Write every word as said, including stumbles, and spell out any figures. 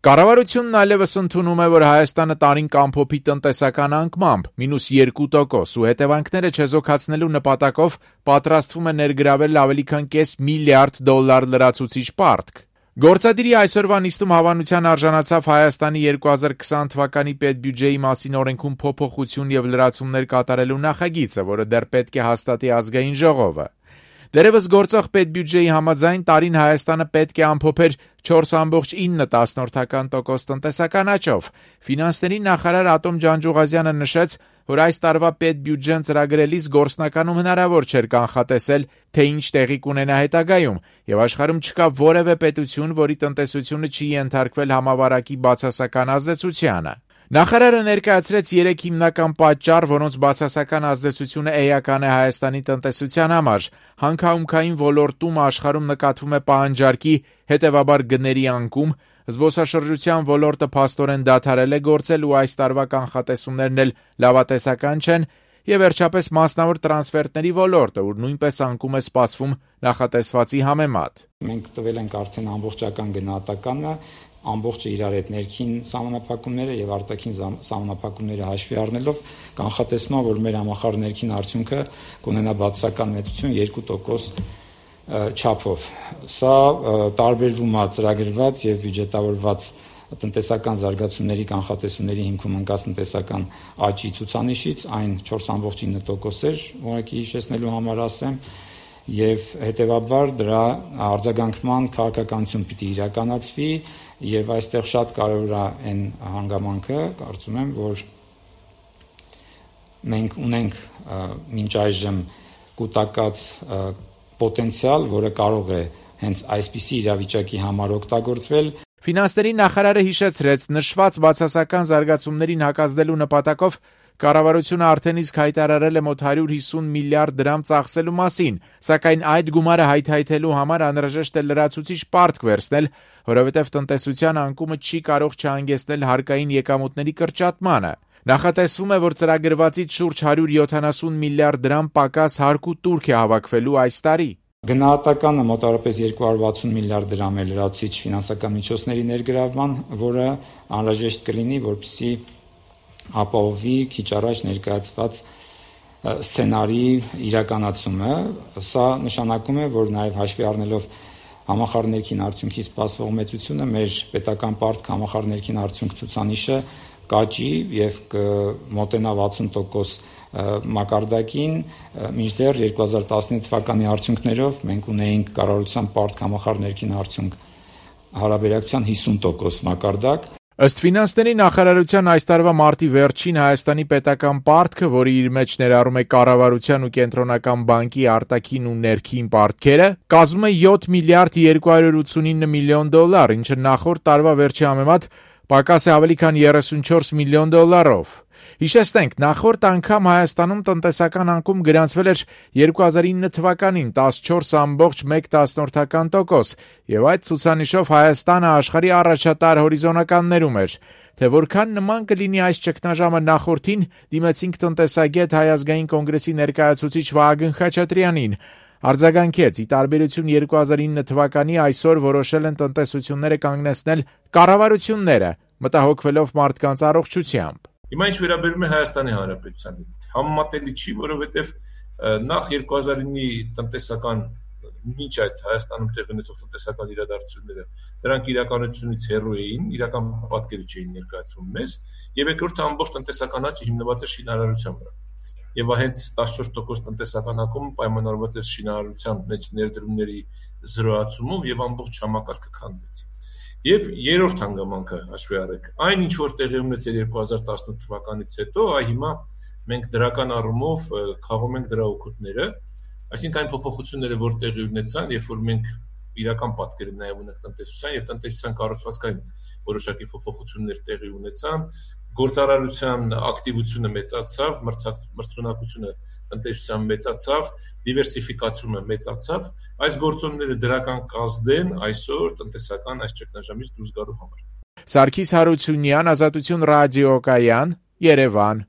Կառավարությունն այլևս ընդունում է, որ Հայաստանը տարին կամփոփի տնտեսական անկմամբ մինուս երկու տոկոս ու հետևանքները չեզոքացնելու նպատակով պատրաստվում է ներգրավել ավելի քան կես միլիարդ դոլար լրացուցիչ պարտք։ Գործադիրի այսօրվա նիստում հավանության արժանացավ Հայաստանի երկու հազար քսան թվականի պետբյուջեի մասին օրենքում փոփոխություն եւ լրացումներ կատարելու նախագիծը, որը դեռ պետք է հաստատի ազգային ժողովը։ Դերևս գործող պետբյուջեի համաձայն տարին Հայաստանը պետք է ամփոփեր չորս կόμma ինը տոկոս տնտեսական աճով։ Ֆինանսների նախարար Ատոմ Ջանջուղազյանը նշեց, որ այս տարվա պետբյուջեն ծրագրելիս գործնականում հնարավոր չէր կանխատեսել, թե ինչ տեղի կունենա հետագայում, եւ աշխարհում չկա որևէ պետություն, որի տնտեսությունը չի ենթարկվել համավարակի բացասական ազդեցությանը։ Նախարարը ներկայացրեց երեք հիմնական պատճառ, որոնց բացասական ազդեցությունը էական է Հայաստանի տնտեսության համար։ Հանքահունքային ոլորտում աշխարհում նկատվում է պահանջարկի, հետևաբար գների անկում, զբոսաշրջության ոլորտը փաստորեն դադարել է գործել ու այս տարվա կանխատեսումներն էլ լավատեսական չեն, եւ վերջապես մասնավոր տրանսֆերտների ոլորտը, ուր նույնպես անկում է սպասվում նախատեսվածի համեմատ։ Մենք տվել ենք արդեն ամբողջական գնահատականը, ամբողջը իրար հետ ներքին սահմանափակումները եւ արտաքին սահմանափակումները հաշվի առնելով կանխատեսվում է, որ մեր համախառն ներքին արդյունքը կունենա բացասական մեծություն երկու տոկոս չափով։ Սա տարբերվում է ծրագրված եւ բյուջետավորված տնտեսական զարգացումների կանխատեսումների հիմքում ընկած տնտեսական աճի ցուցանիշից, այն չորս կόμma ինը տոկոս էր, որակի հիշեցնելու համար ասեմ, եւ հետեւաբար դրա արձագանքման քաղաքականություն պիտի իրականացվի եւ այստեղ շատ կարեւոր է այն հանգամանքը, կարծում եմ, որ մենք ունենք մինչ այժմ կուտակած պոտենցիալ, որը կարող է հենց այսպիսի իրավիճակի համար օգտագործվել։ Ֆինանսների նախարարը հիշեցրեց, նշված բացասական զարգացումներին հակազդելու նպատակով կառավարությունը արդեն իսկ հայտարարել է մոտ հարյուր հիսուն միլիարդ դրամ ծախսելու մասին, սակայն այդ գումարը հայթայթելու համար անհրաժեշտ է լրացուցիչ պարտք վերցնել, որովհետև տնտեսության անկումը չի կարող չհանգեցնել հարկային եկամուտների կրճատմանը։ Նախատեսվում է, որ ծրագրվածից շուրջ հարյուր յոթանասուն միլիարդ դրամ պակաս հարկ ու տուրք է հավաքվելու այս տարի։ Գնահատականը մոտավորապես երկու հարյուր վաթսուն միլիարդ դրամ է լրացուցիչ ֆինանսական միջոցների ներգրավման, որը անհրաժեշտ կլինի, որպեսզի ապահովի քիչ առաջ ներկայացված սցենարի իրականացումը։ Սա նշանակում է, որ նաև հաշվի առնելով համախառն ներքին արդյունքի սպասվող մեծությունը, մեր պետական պարտք համախառն ներքին արդյունք ցուցանիշը կաճի եւ կմոտենա վաթսուն տոկոս մակարդակին, մինչդեռ երկու հազար տասնինը թվականի արդյունքներով մենք ունեինք կառավարության պարտք համախառն ներքին արդյունք հարաբերակցության հիսուն տոկոս մակարդակ։ Ըստ ֆինանսների նախարարության այս տարվա մարտի վերջին Հայաստանի պետական պարտքը, որը իր մեջ ներառում է կառավարության ու կենտրոնական բանկի արտաքին ու ներքին պարտքերը, կազմում է յոթ միլիարդ երկու հարյուր ութսունինը միլիոն դոլար, ինչը նախորդ տարվա վերջի համեմատ պակաս է ավելի քան երեսունչորս միլիոն դոլարով։ Հիշեցնենք, նախորդ անգամ Հայաստանում տնտեսական անկում գրանցվել էր երկու հազար ինը թվականին տասնչորս կόμma մեկ տոկոս, եւ այդ ցուցանիշով Հայաստանը աշխարհի առաջատար հորիզոնականներում էր։ Թե որքան նման կլինի այս ճգնաժամը նախորդին, դիմեցինք տնտեսագետ Հայ ազգային կոնգրեսի ներկայացուցիչ Վահագն Խաչատրյանին։ Արձագանքեց, ի տարբերություն երկու հազար ինը թվականի, այսօր որոշել են տնտեսությունները կանգնեցնել կառավարությունները, մտահոգվելով մարդկանց առողջությամբ։ Հիմա ինչ վերաբերում է Հայաստանի Հանրապետությանը, համեմատելի չի, որովհետև նախ երկու հազար ինի տնտեսական մինչ այդ Հայաստանում տեղի ունեցող տնտեսական իրադարձությունները, դրանք իրականությունից հեռու էին, իրական պատկերը չէին ներկայացվում մեզ, եւ երկրորդը ամբողջ տնտեսական աճը հիմնված է շինարարության վրա։ Եվ հենց տասնչորս տոկոս տնտեսական անկումը պայմանավորված էր շինարարության մեջ ներդրումների զրոացումով եւ ամբողջ համակարգը քանդվեց։ Եվ երրորդ հանգամանքը հաշվի առեք, այն ինչ որ տեղի ունեցել երկու հազար տասնութ թվականից հետո, այ հիմա մենք դրական առումով խաղում ենք դրա օգուտները, այսինքն այն փոփոխությունները, որ տեղի ունեցան, երբ որ մենք իրական պատկերը նաև ունենք տնտեսության եւ տնտեսության կառուցվածքային որոշակի փոփոխություններ տեղի ունեցան, գործարարության ակտիվությունը մեծացավ, մրցունակությունը տնտեսության մեծացավ, դիվերսիֆիկացումը մեծացավ, այս գործոնները դրական կազդեն այսօր տնտեսական այս ճգնաժամից դուրս գալու համար։ Սարգիս Հարությունյան, Ազատություն ռադիոկայան, Երևան։